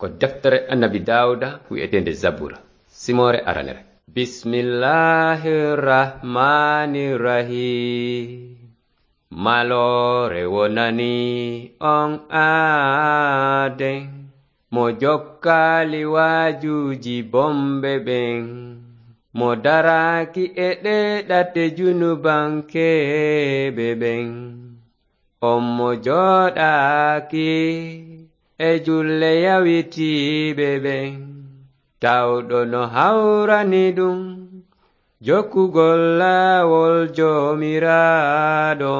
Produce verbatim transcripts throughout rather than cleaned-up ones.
Ko deftere Annabi Daawuda wi'eteende Zabura, simoore aranere. Bismillahir Rahmanir Rahim. Maloore wonani on aaden, mo jokkaali waajuuji bomɓe ɓen, mo daraaki e ɗee ɗate junubankeeɓe ɓen. On mo jooɗaaki e julle yawitiiɓe ɓen, tawɗo no hawrani ɗum jokkugol laawol Joomiraaɗo,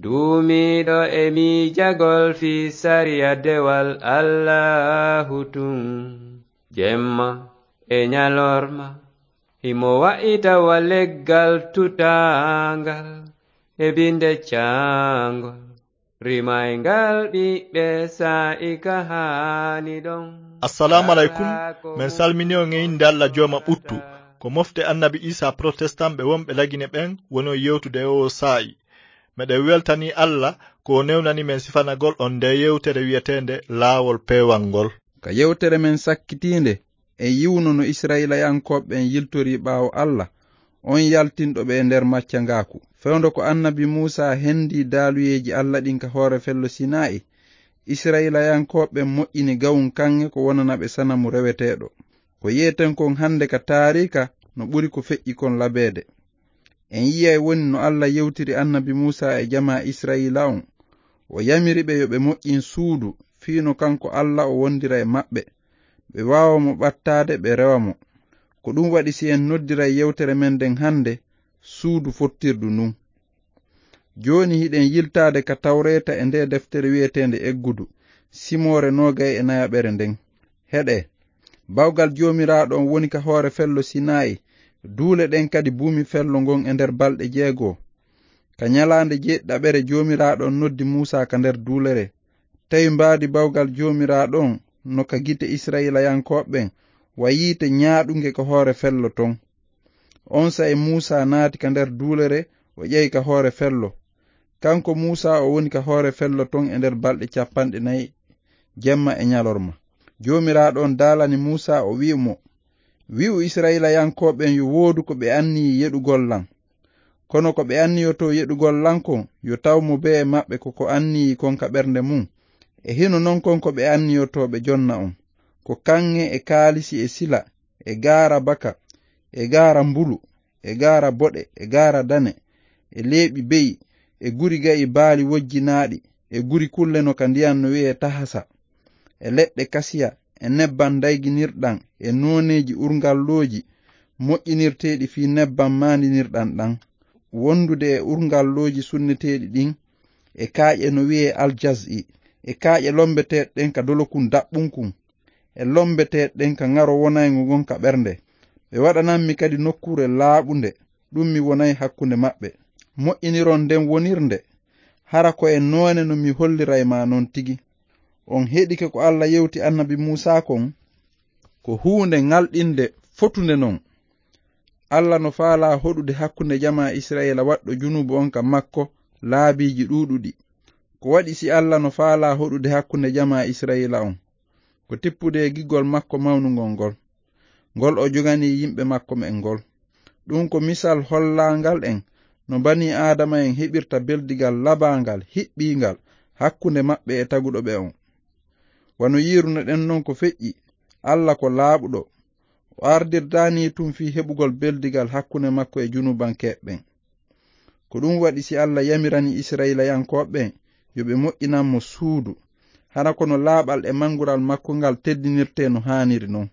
duumiiɗo e miijagol fii sariya dewal Allaahu tun, jemma e ñalorma. Himo wa'ita wa leggal tutaangal e binde caangol, rimayngal ɓiɓɓe saa'i ka haani ɗon. Assalamu alaikum. Men salmini on e innde Alla Jooma ɓuttu. Ko mofte Annabi Isa Protestant ɓe wonɓe Lagine ɓen woni on yewtude e oo saa'i. Meɗen weltanii Alla ko o newnani men sifanagol on ndee yewtere wi'eteende Laawol Peewal ngol. Ka yewtere men sakkitiinde, en yi'uno no Isra'ilayankooɓe ɓen yiltorii ɓaawo Alla, on yaltinɗo ɓe e nder maccangaaku. Fewndo ko Annabi Muusaa hendii daaluyeeji Alla ɗin ka hoore fello Sinaa'i, Isra'ilayankooɓe ɓen moƴƴini gawun kaŋŋe ko wonana ɓe sanamu reweteeɗo. Ko yi'eten kon hannde ka taariika no ɓuri ko feƴƴi kon labeede. En yi'ay woni no Alla yewtiri Annabi Muusaa e jamaa Isra'iila on. O yamiri ɓe yo ɓe moƴƴin suudu, fii no kanko Alla o wondira e maɓɓe. Ɓe waawa mo ɓattaade, ɓe rewa mo. Ko ɗum waɗi si en noddiray yewtere men nden hannde, suudu fottirdu ndun. Jooni hiɗen yiltaade ka Tawreeta e ndee deftere wi'eteende Eggudu, simoore noogay e nayaɓere nden. Heɗee, bawgal Joomiraaɗo on woni ka hoore fello Sinaa'i, duule ɗen kadi buumi fello ngon e nder balɗe jeego. Ka ñalaande jeeɗiɗaɓere Joomiraaɗo on noddi Muusaa ka nder duulere. Tawi mbaadi bawgal Joomiraaɗo on no ka gite Isra'iilayankooɓe ɓen, wa yiite ñaaɗunge ka hoore fello ton. Onsay Muusaa naati ka nder duulere, o ƴawi ka hoore fello. Kanko Muusaa o woni ka hoore fello ton e nder balɗe cappanɗe nayi, jemma e ñalorma. Joomiraaɗo on daalani Muusaa, o wi'i mo, "Wi'u Isra'iilayankooɓe ɓen yo woodu ko ɓe anniyii yeɗugol lan. Kono ko ɓe anniyotoo yeɗugol lan kon, yo taw mo bee maɓɓe ko ko anniyii kon ka ɓernde mun. E hino non kon ko ɓe anniyotoo ɓe jonna on. Ko kaŋŋe e kaalisi e sila, e gaara baka, e gaara mbulu, e gaara boɗe, e gaara dane, e leeɓi be'i, e guri ga'i baali wojjinaaɗi, e guri kulle no ka ndiyan no wi'ee tahasa, e leɗɗe kasiya, e nebban dayginirɗan, e nooneeji urngallooji moƴƴinirteeɗi fii nebban maandinirɗan ɗan, wondude e urngallooji sunneteeɗi ɗin, e kaaƴe no wi'ee aljaz'i, e kaaƴe lombeteeɗe ɗen ka dolokun daɓɓunkun, e lombeteeɗe ɗen ka ŋaro wonayngo ngon ka ɓernde. Ɓe waɗanammi kadi nokkuure laaɓunde, ɗum mi wonay hakkunde maɓɓe. Moƴƴiniron nden wonirde, hara ko e noone no mi holliray ma non tigi." On heɗike ko Alla yewti Annabi Muusaa kon? Ko huunde ŋalɗinde fotunde non. Alla no faalaa hoɗude hakkunde jamaa Isra'iila waɗɗo junubu on ka makko laabiiji ɗuuɗuɗi. Ko waɗi si Alla no faalaa hoɗude hakkunde jamaa Isra'iila on? Ko tippude e giggol makko mawnungol ngol, ngol o joganii yimɓe makko ɓen ngol. Ɗum ko misal hollaangal en no banii Aadama en heɓirta beldigal labaangal, hiɓɓiingal hakkunde maɓɓe e taguɗo ɓe on. Wano yiirunoɗen non ko feƴƴi, Alla ko laaɓuɗo. O ardirdaani tun fii heɓugol beldigal hakkunde makko e junubankeeɓe ɓen. Ko ɗum waɗi si Alla yamirani Isra'iilayankooɓe ɓen yo ɓe moƴƴinan mo suudu, hara kono laaɓal e mangural makko ngal teddinirtee no haaniri non.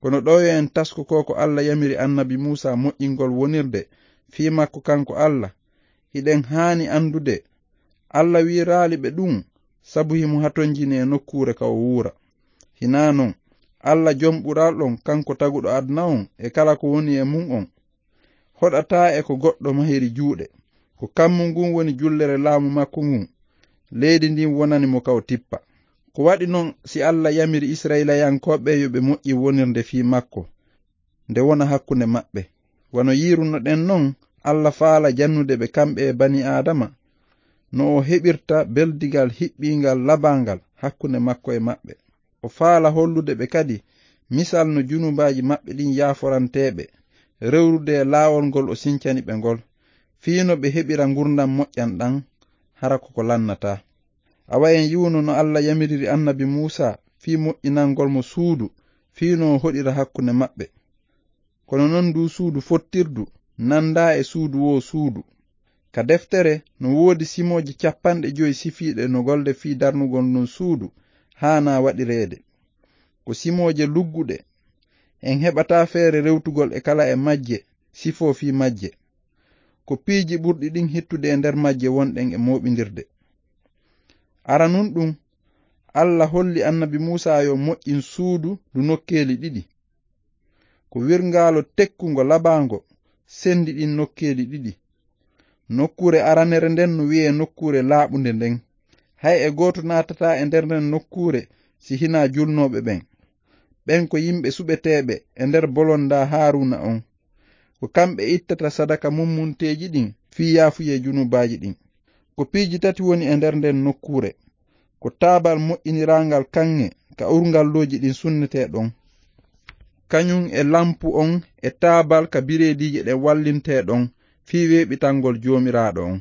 Kono ɗoo yo en tasko ko ko Alla yamiri Annabi Muusaa moƴƴingol wonirde fii makko kanko Alla. Hiɗen haani andude Alla wiiraali ɓe ɗum sabu himo hatonjini e nokkuure ka o wuura. Hinaa non, Alla Jom Ɓural on, kanko taguɗo aduna on e kala ko woni e mun on, hoɗataa e ko goɗɗo mahiri juuɗe. Ko kammu ngun woni jullere laamu makko ngun. Leydi ndin wonani mo ka o tippa. Ko waɗi non si Alla yamiri Isra'iilayankooɓe yo ɓe moƴƴi wonirde fii makko, nde wona hakkunde maɓɓe. Wano yiirunoɗen non, Alla faala jannude ɓe kamɓe e banii Aadama, no o heɓirta beldigal hiɓɓiingal labaangal hakkunde makko e maɓɓe. O faala hollude ɓe kadi misal no junubaaji maɓɓe ɗin yaaforanteeɓe, rewrude e laawol ngol o sincani ɓe ngol, fii no ɓe heɓira ngurndan moƴƴan ɗan, hara ko ko lannataa. Awa en yi'uno no Alla yamiriri annabi Muusaa fii moƴƴinangol mo suudu, fii no o hoɗira hakkunde maɓɓe. Kono non duu suudu fottirdu nandaa e suudu woo suudu. Ka deftere no woodi simooje capanɗe jowi sifiiɗe no golde fii darnugol ndun suudu haanaa waɗireede. Ko simooje lugguɗe. En heɓataa feere rewtugol e kala e majje, sifoo fii majje. Ko piiji ɓurɗi ɗin hittude e nder majje wonɗen e mooɓindirde. Aranun ɗun, Alla holli annabi Muusaa yo moƴƴin suudu ndu nokkeeli ɗiɗi. Ko wirngaalo tekkungo labaango sendi ɗin nokkeeli ɗiɗi. Nokkuure aranere nden no wi'ee nokkuure laaɓunde nden. Hay e gooto naatataa e nder nden nokkuure si hinaa julnooɓe ɓen. Ɓen ko yimɓe suɓeteeɓe e nder bolondaa Haaruuna on. Ko kamɓe ittata sadaka mummunteeji ɗin fii yaafuyee junubaaji ɗin. Ko piiji tati woni e nder nden nokkuure. Ko taabal moƴƴiniraangal kaŋŋe ka urngalluuji ɗin sunnetee ɗon, kañun e lampu on e taabal ka bireediije ɗen wallintee ɗon fii weeɓitangol Joomiraaɗo on.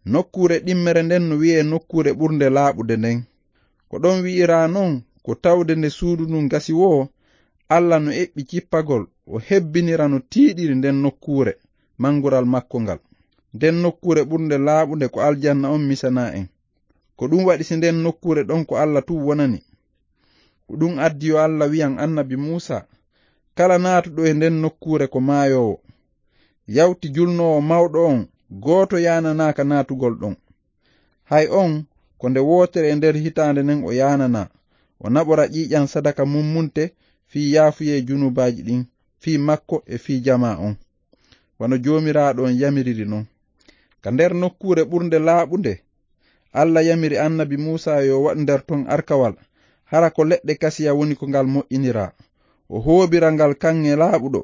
Nokkuure ɗimmere nden no wi'ee nokkuure ɓurnde laaɓude nden. Ko ɗon wi'iraa non ko tawde nde suudu ndun gasi woo, Alla no eɓɓi cippagol, o hebbinira no tiiɗiri nden nokkuure, mangural makko ngal. Nden nokkuure ɓurnde laaɓunde ko aljanna on misanaa en. Ko ɗun waɗi si nden nokkuure ɗon ko Alla tun wonani. Ko ɗun addi yo Alla wi'an annabi Muusaa, kala naatuɗo e nden nokkuure ko maayoowo. Yawti julnoowo mawɗo on, gooto yaananaaka naatugol ɗon. Hay on, ko nde wootere e nder hitaande nden o yaananaa, o naɓora ƴiiƴan sadaka mummunte fii yaafuyee junubaaji ɗin, fii makko e fii jamaa on, wano Joomiraaɗo on yamiriri non. Ka nder nokkuure ɓurnde laaɓunde, Alla yamiri annabi Muusaa yo waɗu nder ton arkawal, hara ko leɗɗe kasiya woni ko ngal moƴƴiniraa. O hoobira ngal kaŋŋe laaɓuɗo,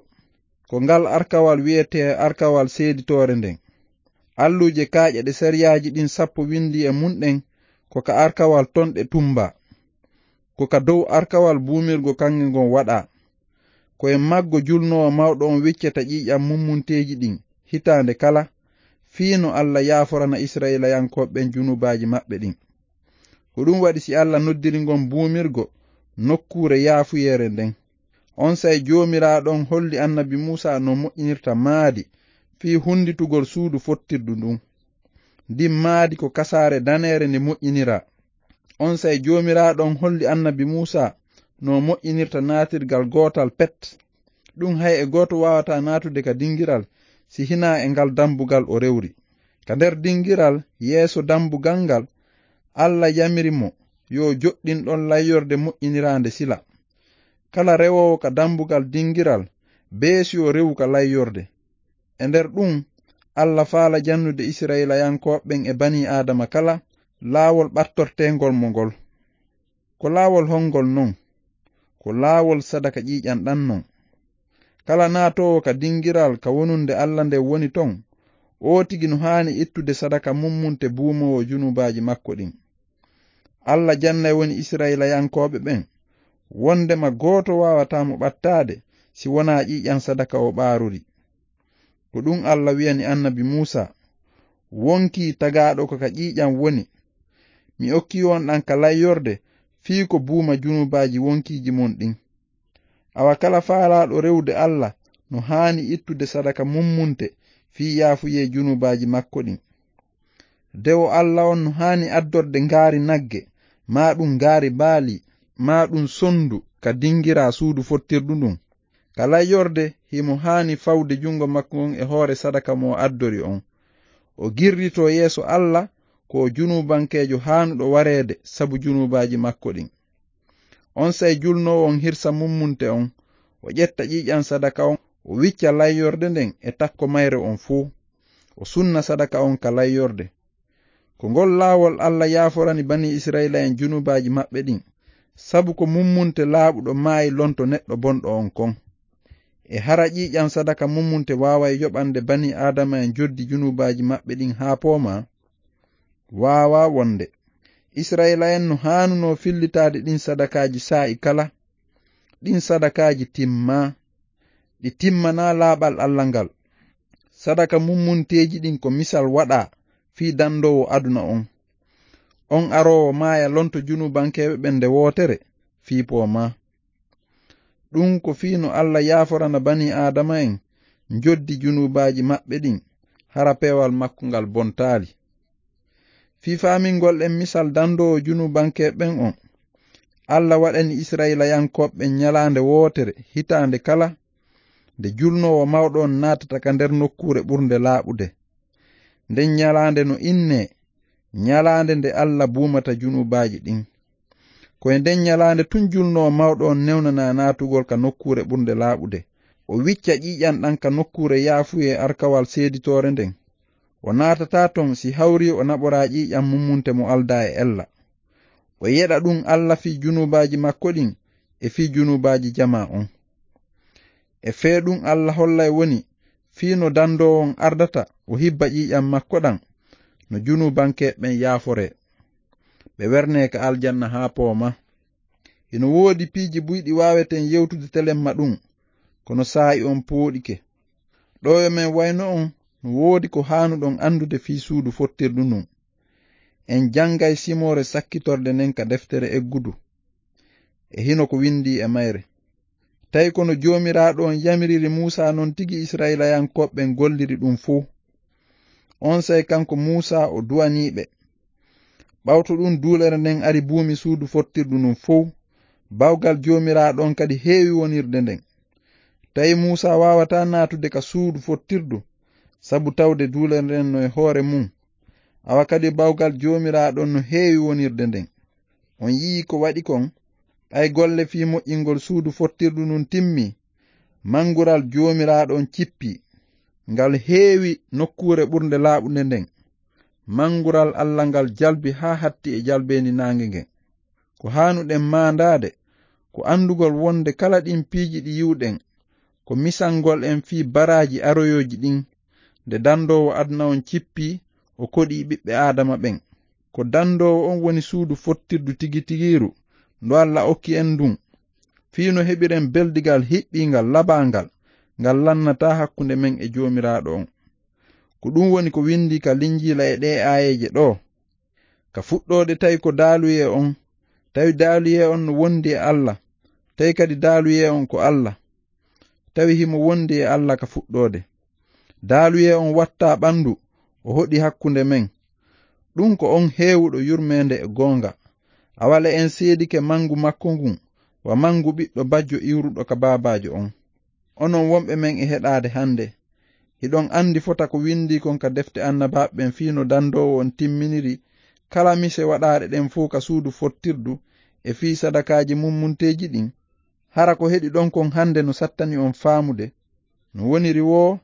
ko ngal arkawal wi'etee arkawal seeditoore nden. Alluuje kaaƴe ɗe sariyaaji ɗin sappo windii e mun ɗen ko ka arkawal ton ɗe tumbaa. Ko ka dow arkawal buumirgo kaŋŋe ngon waɗaa. Ko e maggo julnoowo mawɗo on wiccata ƴiiƴan mummunteeji ɗin hitaande kala, fii no Alla yaaforana Isra'ilayankooɓe ɓen junubaaji maɓɓe ɗin. Ko ɗun waɗi si Alla noddiri ngon buumirgo nokkuure yaafuyeere nden. Onsay Joomiraaɗo on holli annabi Muusaa no moƴƴinirta maadi fii hunnditugol suudu fottirdu ndun. Ndin maadi ko kasaare daneere nde moƴƴiniraa. Onsay Joomiraaɗo on holli annabi Muusaa no moƴƴinirta naatirgal gootal pet. Ɗun hay e gooto waawataa naatude ka dingiral si hinaa e ngal dambugal o rewri. Ka nder dingiral yeeso dambugal ngal, Alla yamiri mo yo joɗɗin ɗon layyorde moƴƴiniraande sila. Kala rewoowo ka dambugal dingiral, bee si o rewu ka layyorde. E nder ɗun, Alla faala jannude Isra'ilayankooɓe ɓen e banii Aadama kala laawol ɓattorteengol mo ngol. Ko laawol hongol non? Ko laawol sadaka ƴiiƴan ɗan non. Kala naatoowo ka dingiral ka wonunde Alla nden woni ton, oo tigi no haani ittude sadaka mummunte buumoowo junubaaji makko ɗin. Alla jannay woni Isra'ilayankooɓe ɓen, wondema gooto waawataa mo ɓattaade si wonaa ƴiiƴan sadaka o ɓaaruri. Ko ɗun Alla wi'ani annabi Muusaa, wonkii tagaaɗo ko ka ƴiiƴan woni. Mi okkii on ɗan ka layyorde fii ko buuma junubaaji wonkiiji mon ɗin. Awa kala faalaaɗo rewude Alla no haani ittude sadaka mummunte fii yaafuyee junubaaji makko ɗin. Dewo Alla on no haani addorde ngaari nagge, maa ɗun ngaari baali, maa ɗun sondu ka dingiraa suudu fottirdu ndun. Ka layyorde himo haani fawde jungo makko ngon e hoore sadaka mo o addori on. O girritoo yeeso Alla ko o junubankeejo haanuɗo wareede sabu junubaaji makko ɗin. Onsay julnoowo on hirsa mummunte on, o ƴetta ƴiiƴan sadaka on, o wicca layyorde nden e takko mayre on fow. O sunna sadaka on ka layyorde. Ko ngol laawol Alla yaaforani banii Isra'iila'en junubaaji maɓɓe ɗin, sabu ko mummunte laaɓuɗo maayi lonto neɗɗo bonɗo on kon. E hara ƴiiƴan sadaka mummunte waaway yoɓande banii Aadama'en joddi junubaaji maɓɓe ɗin haa poomaa? Waawaa wonde. Isra'iila'en no haanunoo fillitaade ɗin sadakaaji saa'i kala. Ɗin sadakaaji timmaa. Ɗi timmanaa laaɓal Alla ngal. Sadaka mummunteeji ɗin ko misal waɗaa fii dandoowo aduna on. On aroowo maaya lonto junubankeeɓe ɓen nde wootere fii poo maa. Ɗun ko fii no Alla yaaforana banii Aadama'en njoddi junubaaji maɓɓe ɗin, hara peewal makko ngal bontaali. Fii faamingol en misal dandoowo junubankeeɓe ɓen on, Alla waɗani Isra'iilayankooɓe ɓen ñalaande wootere hitaande kala, nde julnoowo mawɗo on naatata ka nder nokkuure ɓurnde laaɓude. Nden ñalaande no innee ñalaande nde Alla buumata junubaaji ɗin. Ko e nden ñalaande tun julnoowo mawɗo on newnanaa naatugol ka nokkuure ɓurnde laaɓude. O wicca ƴiiƴan ɗan ka nokkuure yaafuyee alkawal seeditoore nden. O naatataa ton si hawrii o naɓoraa ƴiiƴan mummunte mo aldaa e ella. O yeɗa ɗun Alla fii junubaaji makko ɗin e fii junubaaji jamaa on. E fee ɗun Alla hollay woni fii no dandoowo on ardata o hibba ƴiiƴan makko ɗan no junubankeeɓe ɓen yaaforee. Ɓe wernee ka aljanna haa pooma. Hino woodi piiji buy ɗi waaweten yewtude telemma ɗun, kono saa'i on pooɗike. Ɗoo yo men wayno on, no woodi ko haanuɗon anndude fii suudu fottirdu ndun. En janngay simoore sakkitorde nden ka deftere eggudu. E hino ko windii e mayre. Tawi ko no Joomiraaɗo on yamiriri Muusaa non tigi Isra'iilayankooɓe ɓen golliri ɗun fow. Onsay kanko Muusaa o duwanii ɓe. Ɓawto ɗun duulere nden ari buumi suudu fottirdu ndun fow. Bawgal Joomiraaɗo on kadi heewi wonirde nden. Tawi Muusaa waawataa naatude ka suudu fottirdu, sabu tawde duulere nden no e hoore mun. Awa kadi bawgal Joomiraaɗo on no heewi wonirde nden. On yi'ii ko waɗi kon? Ɓay golle fii moƴƴingol suudu fottirdu ndun timmii, mangural Joomiraaɗo on cippii. Ngal heewi nokkuure ɓurnde laaɓunde nden. Mangural Alla ngal jalbi haa hatti e jalbeendi naange ngen. Ko haanuɗen maandaade, ko anndugol wonde kala ɗin piiji ɗi yi'uɗen, ko misangol en fii baraaji aroyooji ɗin, nde dandoowo aduna on cippii, o koɗii ɓiɓɓe Aadama ɓen. Ko dandoowo on woni suudu fottirdu tigi tigiiru, ndu Alla okki en ndun, fii no heɓiren beldigal hiɓɓiingal labaangal, ngal lannataa hakkunde men e Joomiraaɗo on. Ko ɗun woni ko windii ka Linjiila e ɗee aayeeje ɗoo. Ka fuɗɗoode tawi ko daaluyee on, tawi daaluyee on no wondi e Alla, tawi kadi daaluyee on ko Alla. Tawi himo wondi e Alla ka fuɗɗoode. Daaluyee on wattaa ɓandu, o hoɗi hakkunde men. Ɗun ko on heewuɗo yurmeende e goonga. Awa le en seedike mangu makko ngun, wa mangu ɓiɗɗo bajjo iwruɗo ka baabaajo on. Onon wonɓe men e heɗaade hande, hiɗon andi fota ko windii kon ka defte annabaaɓe ɓen fii no dandoowo on timminiri kala mise waɗaaɗe ɗen fow ka suudu fottirdu e fii sadakaaji mummunteeji ɗin? Hara ko heɗiɗon kon hande no sattani on faamude? No woniri woo,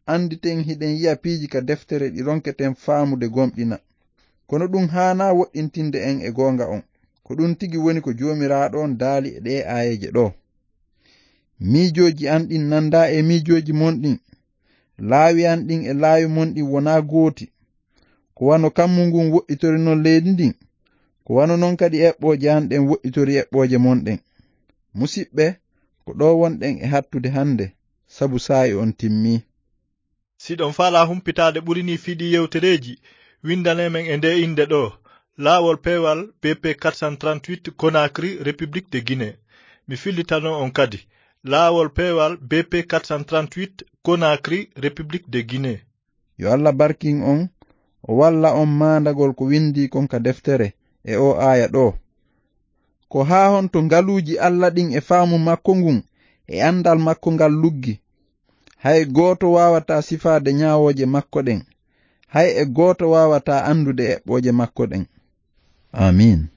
anditen hiɗen yi'a piiji ka deftere ɗi ronketen faamude gomɗina. Kono ɗun haanaa woɗɗintinde en e goonga on. Ko ɗun tigi woni ko Joomiraaɗo on daali e ɗee aayeeje ɗoo. Miijooji an ɗin nandaa e miijooji mon ɗin. Laawi an ɗin e laawi mon ɗin wonaa gooti. Ko wano kammu ngun woɗɗitori non leydi ndin, ko wano non kadi eɓɓooje an ɗen woɗɗitori eɓɓooje mon ɗen. Musiɓɓe, ko ɗoo wonɗen e hattude hande, sabu saa'i on timmii. Si ɗon faalaa humpitaade ɓuri nii fii ɗii yewtereeji, windanee men e ndee innde ɗoo, Laawol Peewal B P quatre cent trente-huit, Conakry, République de Guinée. Mi fillitanoo on kadi, Laawol Peewal B P quatre cent trente-huit, Conakry, République de Guinée. Yo Alla barkin on, o walla on maandagol ko windii kon ka deftere e oo aaya ɗoo. Ko haa honto ngaluuji Alla ɗin e faamu makko ngun e andal makko ngal luggi? Hay gooto waawataa sifaade ñaawooje makko ɗen. Hay e gooto waawataa andude eɓɓooje makko ɗen. Amiin.